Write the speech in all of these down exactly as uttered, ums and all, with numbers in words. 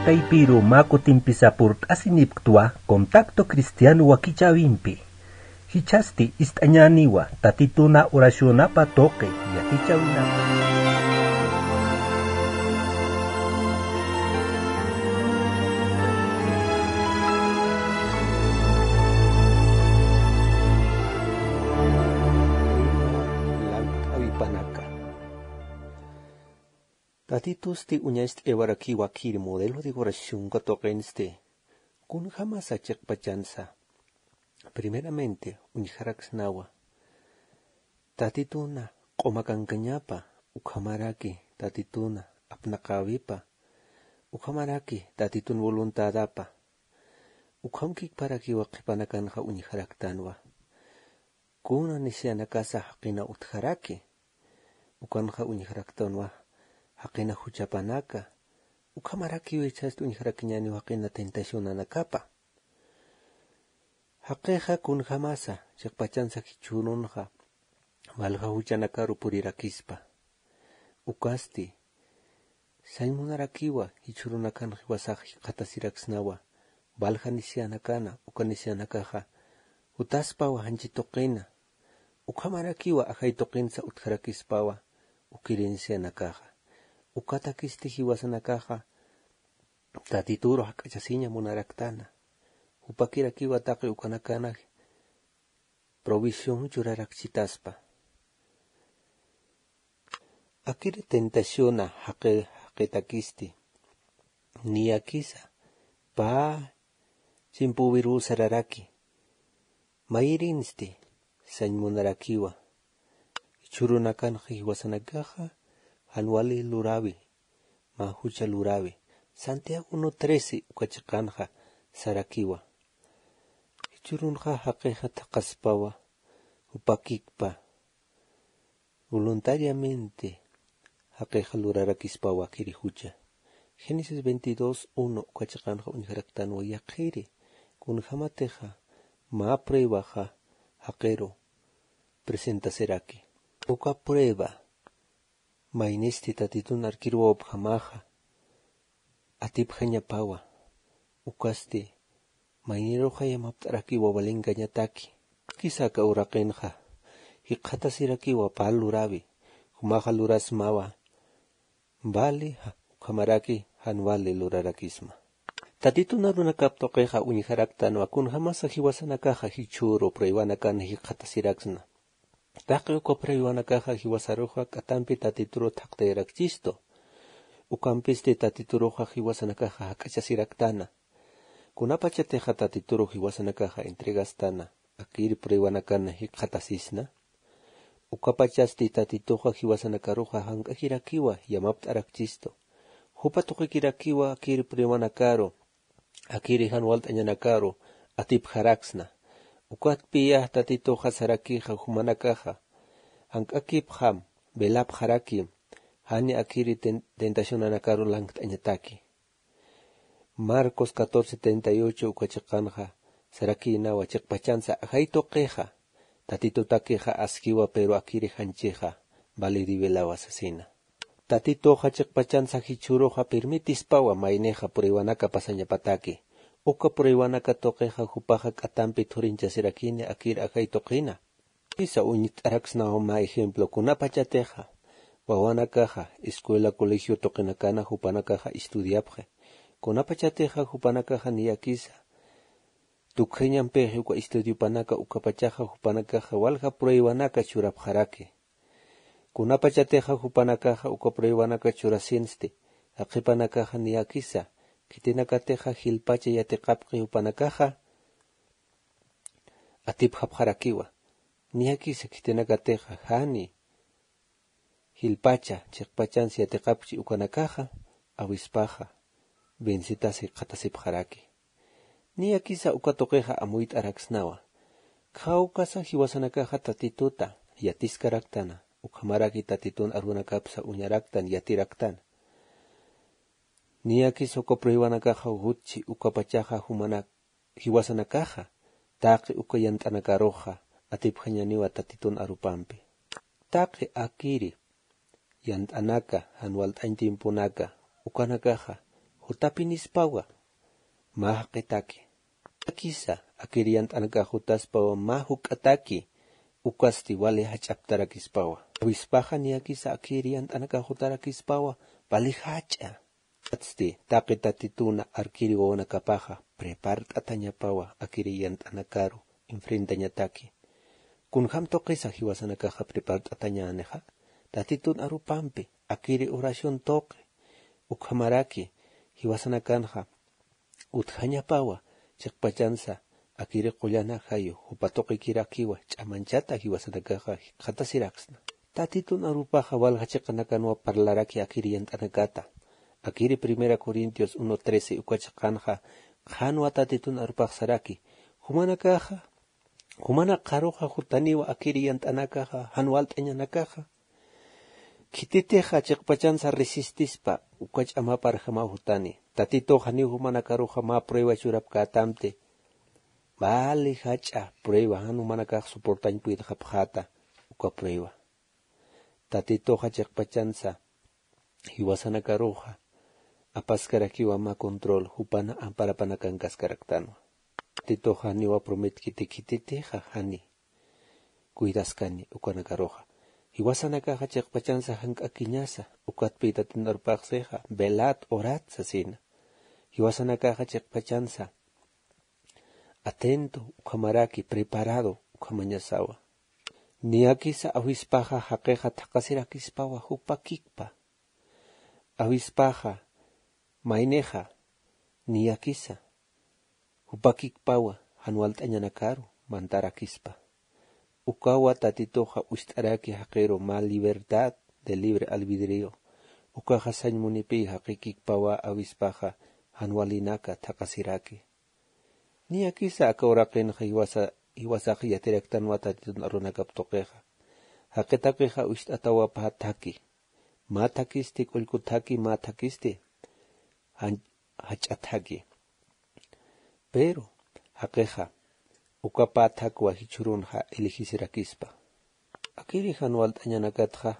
Taypiru mä kutimpisa purt'asinipktwa Contacto Cristiano wakichäwimpi. Jichhasti ist'añäniwa Tatituna oracionapa tuqi yatichäwinapa. Lankt'awipanaka. Tatitusti uñacht'ayawarakïwa akhïr modelo de oración katuqinsti. Kunjamasa chiqpachansa. Primeramente, uñjaraksnawa. Tatituna q'umakankañapa, ukhamaraki Tatituna apnaqäwipa, ukhamaraki Tatitun voluntadapa. Ukhamkikparakiwa qhipanakanxa uñjaraktanwa. Kuna nisiyanakasa jaqina utjaraki. Ukanxa uñjaraktanwa jaqina juchapanaka. Ukhamarakiw jichhasti uñjarakiñäniw jaqina tentacionanakapa. Jaqixa kunjamasa, chiqpachansa jichhürunxa, walja juchanakaru purirakispa. Ukasti, sañ munarakiwa, jichhürunakan jiwasax jikxatasiraksnawa, walja nisiyanakana, uka nisiyanakaxa, jutaspawa janchi tuqina, ukhamarakiwa ajay tuqinsa utjarakispawa, ukiri nisiyanakaxa. Ukatakisti jiwasanakaxa, Tatituru jak'achasiña munaraktana. Jupakirakiwa taqi ukanakana provisión churarakchitaspa. Akiri tentaciona jaqi, jaqitakisti. Niyakisa, pä chimpuwiruw sararaki. Mayirinsti, sañ munarakiwa. Jichhürunakanxa jiwasanakaxa, jan wali luräwi, mä jucha luräwi. Santiago uno trece uka chiqanxa sarakiwa. Jichhürunxa jaqixa thaqhaspawa, jupakikpa. Voluntariamente jaqixa lurarakispawa akiri jucha. Génesis veintidós uno uka chiqanxa uñjaraktanwa yaqhiri, kunjamatixa mä pruebaxa jaqiru presentasiraki. Uka prueba, maynisti Tatitun arkiruwapjamaxa, atipjañapawa, ukasti, mayniruxa yamapt'arakiwa walinkañataki. Kisa aka uraqinxa, jikxatasirakiwa pä luräwi, jumaxa lurasmawa, vale, ja, ukhamaraki, jan vale lurarakisma. Tatitun arunakap tuqixa uñjaraktanwa kunjamasa jiwasanakaxa jichhüru pruebanakan jikxatasiraksna. Taqi uka pruebanakaxa jiwasaruxa k'atampi Tatituru thaqtayarakchistu. Ukampisti Tatituruxa jiwasanakaxa jak'achasiraktana. Kunapachatixa Tatituru jiwasanakaxa entregastana, akir pruebanakan jikxatasisna. Ukapachasti Tatituxa jiwasanakaruxa jank'akirakiwa yamapt'arakchistu. Jupa tuqikirakiwa akir pruebanakaru, akiri jan walt'añanakaru atipjaraksna. Ukatpiya Tatituxa sarakixa jumanakaxa, jank'akipxam, velapxarakim, jani akiri ten-, tentacionanakaru lankt'añataki. Marcos catorce treinta y ocho uka chiqanxa, sarakïnawa chiqpachansa ajay tuqixa, Tatitutakixa askiwa pero akiri janchixa, vale revelawa sasina. Tatituxa chiqpachansa jichhüruxa permitispawa maynixa pruebanaka pasañapataki. Uka pruebanaka tuqixa jupaxa k'atampi thurinchasirakini akir ajay tuqina. Kisa uñt'araksnawa mä ejemplo, kunapachatixa wawanakaxa escuela, colegio tuqinakana jupanakaxa estudiapxi. Kunapachatixa jupanakaxa niyakisa tukjañampixi uka estudiopanaka, ukapachaxa jupanakaxa walja pruebanaka churapxaraki. Kunapachatixa jupanakaxa uka pruebanaka churasinsti, jaqhipanakaxa niyakisa, khitinakatixa jilpacha yatiqapxi jupanakaxa atipjapxarakiwa. Niyakisa khitinakatixa jani jilpacha chiqpachansi yatiqapxchi ukanakaxa, awispaxa vencetasi jikxatasipxaraki. Niyakisa uka tuqixa amuyt'araksnawa. Khawkasa jiwasanakaxa Tatituta yatiskaraktana, ukhamaraki Tatitun arunakapsa uñaraktan, yatiraktana. Niyakisa uka pruebanakaxa jutchi ukapachaxa jumanak jiwasanakaxa, taqi uka yant'anakaruxa atipjañaniwa Tatitun arupampi. Taqi akiri yant'anaka, jan walt'añ tiemponaka, ukanakaxa jutapinispawa mä jaqitaki. Akisa akir yant'anakax jutaspawa mä juk'ataki, ukasti wali jach'aptarakispawa. Awispaxa niyakisa akir yant'anakax jutarakispawa wali jach'a. Atsti taqi tatituna arkiri wawanakapaxa prepart'atañapawa akiri yant'anakaru enfrentañataki. Kunjam tuqisa jiwasanakaxa prepart'atañänixa? Tatitun arupampi akiri oración tuqi ukhamaraki jiwasanakanxa utjañapawa chiqpachansa akiri qullana jayu jupa tuqikirakiwa ch'amanchata jiwasanakaxa jikxatasiraksna. Tatitun arupaxa walja chiqanakanwa parlaraki akiri yant'anakata. Akiri primera corintios uno trece uka chiqanxa qhanwa tatitun arupax saraki, jumanakaxa jumanakaruxa jutaniwa akiri yant'anakaxa jan walt'añanakaxa. Khititixa chiqpachansa resistispa uka ch'amaparjamaw jutani. Tatitux janiw jumanakaruxa mä prueba churapkätamti vali jach'a prueba jan jumanakax soportañ puytxapxäta uka prueba. Tatituxa chiqpachansa jiwasanakaruxa apaskarakiwa mä control jupana amparapanakankaskaraktanwa. Tatituxa janiwa prometkiti khititixa jani cuidaskani ukanakaruxa. Jiwasanakaxa chiqpachansa jank'akiñasa ukatpï tatitun arupaxsixa velad orad sasina. Jiwasanakaxa chiqpachansa atento ukhamaraki preparado ukhamañasawa. Niyakisa awispaxa jaqixa thaqasirakispawa jupakikpa. Awispaxa maynixa niyakisa jupakikpawa jan walt'añanakaru mantarakispa. Ukawa tatituxa ucht'araki jaqiru mä libertad de libre albidrio. Ukaxa sañ munipï jaqikikpawa awispaxa jan walinaka thaqasiraki. Niyakisa aka uraqinxa jiwasax yatiraktanwa tatitun arunakap tuqixa. Jaqitakixa ucht'atawa pä thaki, mä thakisti k'ullku thaki mä thakisti jach'a thaki. Pero jaqixa uka pä thakwa jichhürunxa elegisirakispa. Akiri jan walt'añanakatxa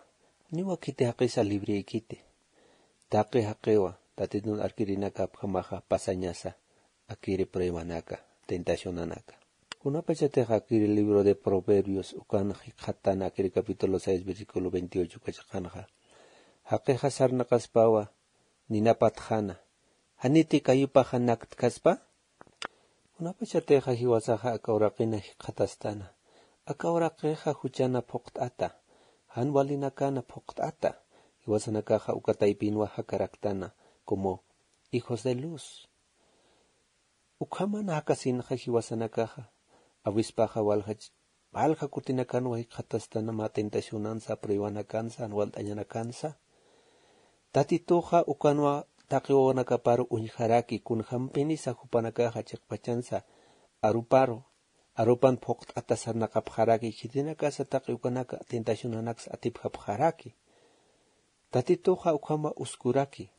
janiwa khiti jaqisa librïkiti. Taqi jaqiwa tatitun arkirinakapjamaxa pasañasa akiri pruebanaka, tentacionanaka. Kunapachatix akiri libro de proverbios ukan jikxatana akiri capítulo seis versículo veintiocho uka chiqanxa jaqixa sarnaqaspawa ninapatxana, janiti kayupaxa naktkaspa? Kunapachatixa jiwasaxa aka uraqina jikxatastana, aka uraqixa juchana phuqt'ata, jan walinakana phuqt'ata. Jiwasanakaxa uka taypinwa jakaraktana como hijos de luz. Ukhamana jakasinxa jiwasanakaxa awispaxa walja kutinakanwa jikxatastana mä tentacionansa pruebanakansa jan walt'añanakansa. Tatituxa ukanwa taqi wawanakaparu uñjaraki kunjampinisa jupanakaxa chiqpachansa aruparu arupan phuqt'ata sarnaqapxaraki khitinakasa taqi ukanaka tentacionanaksa atipjapxaraki. Tatituxa ukhama uskuraki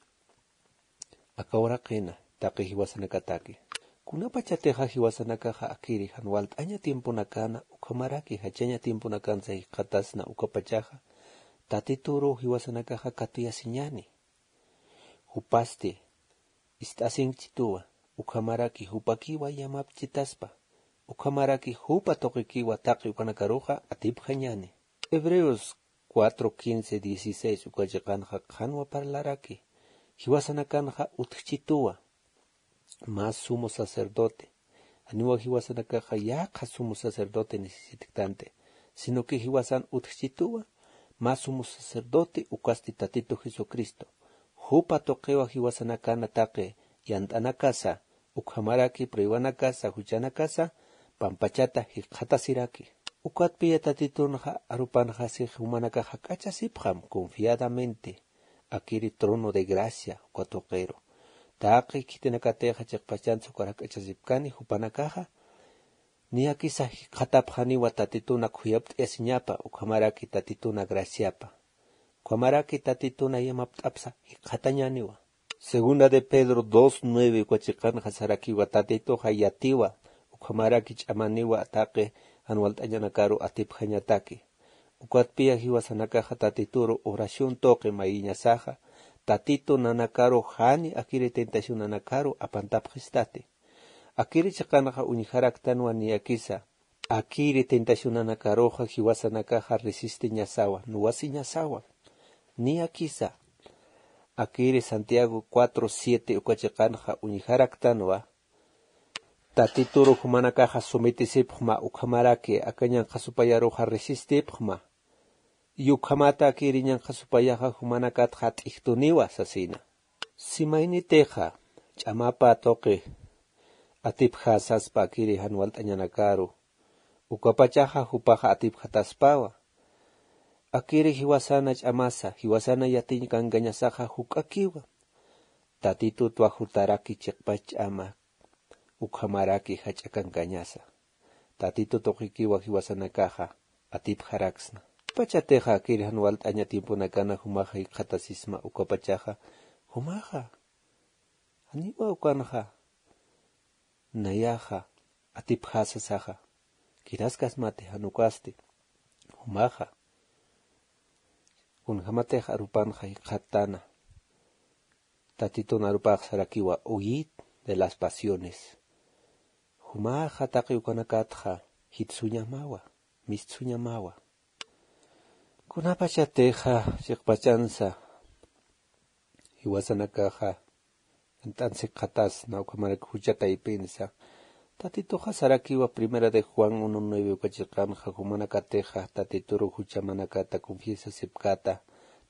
aka uraqina taqi jiwasanakataki. Kunapachatixa jiwasanakaxa akiri jan walt'aña tiemponakana ukhamaraki jachaña tiemponakansa jikxatasna ukapachaxa tatituru jiwasanakaxa katuyasiñani. Jupasti ist'asinkchituwa ukhamaraki jupakiwa yamapchitaspa ukhamaraki jupa tuqikiwa taqi ukanakaruxa atipjañani. Hebreos cuatro quince dieciséis uka chiqanxa qhanwa parlaraki jiwasanakanxa utjchituwa mä sumo sacerdote. Janiwa jiwasanakaxa yaqha sumo sacerdote necesitktanti sino que jiwasan utjchituwa mä sumo sacerdote ukasti tatitu jesucristo. Jupa tuqiwa jiwasanakana taqi yant'anakasa ukhamaraki pruebanakasa juchanakasa pampachata jikxatasiraki. Ukatpiya tatitunxa arupanxasix jumanakax jak'achasipxam confiadamente akiri trono de gracia uka tuqiru. Taqi khitinakatixa chiqpachansa ukar jak'achasipkani jupanakaxa niyakisa jikxatapxaniwa tatituna khuyapt'ayasiñapa ukhamaraki tatituna graciapa ukhamaraki tatituna yamapt'apsa jikxatañaniwa. Segunda de pedro dos nueve uka chiqanxa sarakiwa tatituxa yatiwa ukhamaraki ch'amaniwa taqi jan walt'añanakaru atipjañataki. Ukatpiya jiwasanakaxa tatituru oración tuqi mayiñasaxa Tatitu nanakaru jani akiri tentacionanakaru apantapxistati. Akiri chiqanxa uñjaraktanwa niyakisa. Akiri tentacionanakaruxa jiwasanakaxa resistiñasawa, nuwasiñasawa. Niyakisa. Akiri Santiago cuatro siete uka chiqanxa uñjaraktanwa. Tatituru jumanakaxa sumitisipxma ukhamaraki aka ñanqha supayaruxa resistipxma. Yukhamata akiri ñanqha supayaxa jumanakatxa t'ijtuniwa sasina. Simaynitixa ch'amapa tuqi atipjasaspa akiri jan walt'añanakaru. Ukapachaxa jupaxa atipjataspawa. Akiri jiwasana ch'amasa, jiwasana yatiñ kankañasaxa juk'akiwa. Tatitutwa jutaraki chiqpach ch'ama, ukhamaraki jach'a kankañasa. Tatitu tuqikiwa jiwasanakaxa atipjaraksna. Pachatixa akiri jan walt'aña tiemponakana jumaxa jikxatasisma ukapachaxa, jumaxa janiwa ukanxa nayaxa atipjasasaxa, kiraskasmati jan ukasti, jumaxa kunjämatix arupanxa jikxattana. Tatitun arupax sarakiwa, huid de las pasiones. Jumaxa taqi ukanakatxa jitsuñamawa, mistsuñamawa. Kunapachatixa chiqpachansa jiwasanakaxa yant'an jikxatasna ukhamarak jucha taypinsa, Tatituxa sarakiwa. Primera de Juan uno nueve uka chiqanxa jumanakatixa Tatituru juchamanakata confiesasipkata,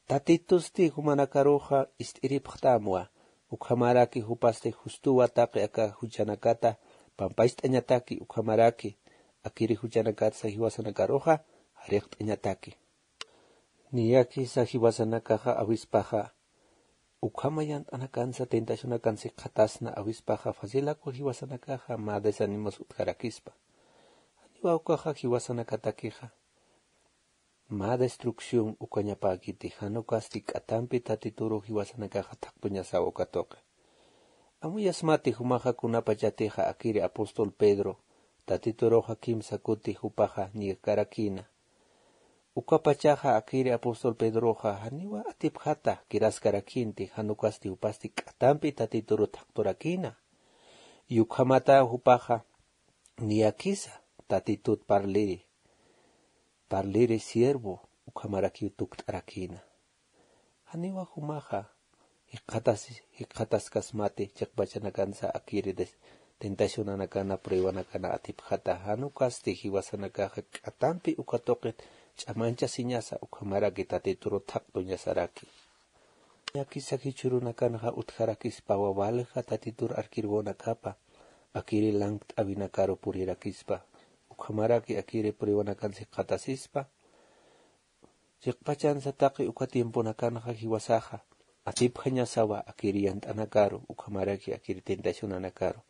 Tatitusti jumanakaruxa ist'iripxtamwa. Ukhamaraki jupasti justuwa taqi aka juchanakata pampacht'añataki, ukhamaraki akiri juchanakatsa jiwasanakaruxa jariqt'añataki. Niyakisa jiwasanakaxa awispaxa ukhama yant'anakansa tentacionakansa jikxatasna awispaxa facilakwa jiwasanakaxa mä desánimos utjarakispa. Janiwa ukaxa jiwasanakatakixa mä destrucción ukañapäkiti, jan ukasti k'atampi Tatituru jiwasanakaxa thaqtuñasawa uka tuqi. Amuyasmati jumaxa kunapachatixa akiri apóstol Pedro Tatituruxa kimsa kuti jupaxa niyakarakïna. Ukapachaxa akiri apóstol Pedroxa janiwa atipjata kiraskarakïnti, jan ukasti jupasti k'atampi Tatituru thaqturakïna. Ukhamata jupaxa niyakisa Tatitut parliri, parliri siervo, ukhamarakiw tukt'arakïna. Janiwa jumaxa jikxatas-, jikxataskasmati chiqpachanakansa akiri des-, tentacionanakana, pruebanakana atipjata, jan ukasti jiwasanakaxa k'atampi uka tuqit ch'amanchasiñasa, ukhamaraki Tatituru thaqtuñasaraki. Niyakisa jichhürunakanxa utjarakispawa walja Tatitur arkirwanakapa, akiri lankt'awinakaru purirakispa, ukhamaraki akiri pruebanakansa jikxatasispa. Chiqpachansa taqi uka tiemponakanxa jiwasaxa atipjañasawa akiri yant'anakaru, ukhamaraki akiri tentacionanakaru.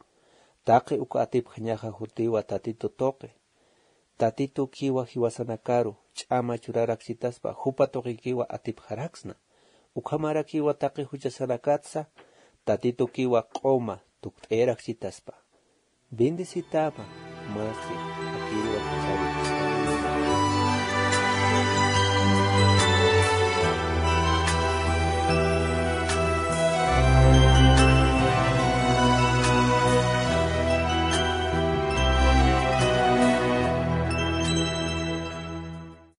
Taqi uka atipjañaxa jutiwa Tatitu tuqi. Tatitukiwa jiwasanakaru ch'ama churarakchitaspa, jupa tuqikiwa atipjaraksna. Ukhamarakiwa taqi juchasanakatsa Tatitukiwa q'uma tukt'ayarakchitaspa. Bendecitama masi akiriwa juchari.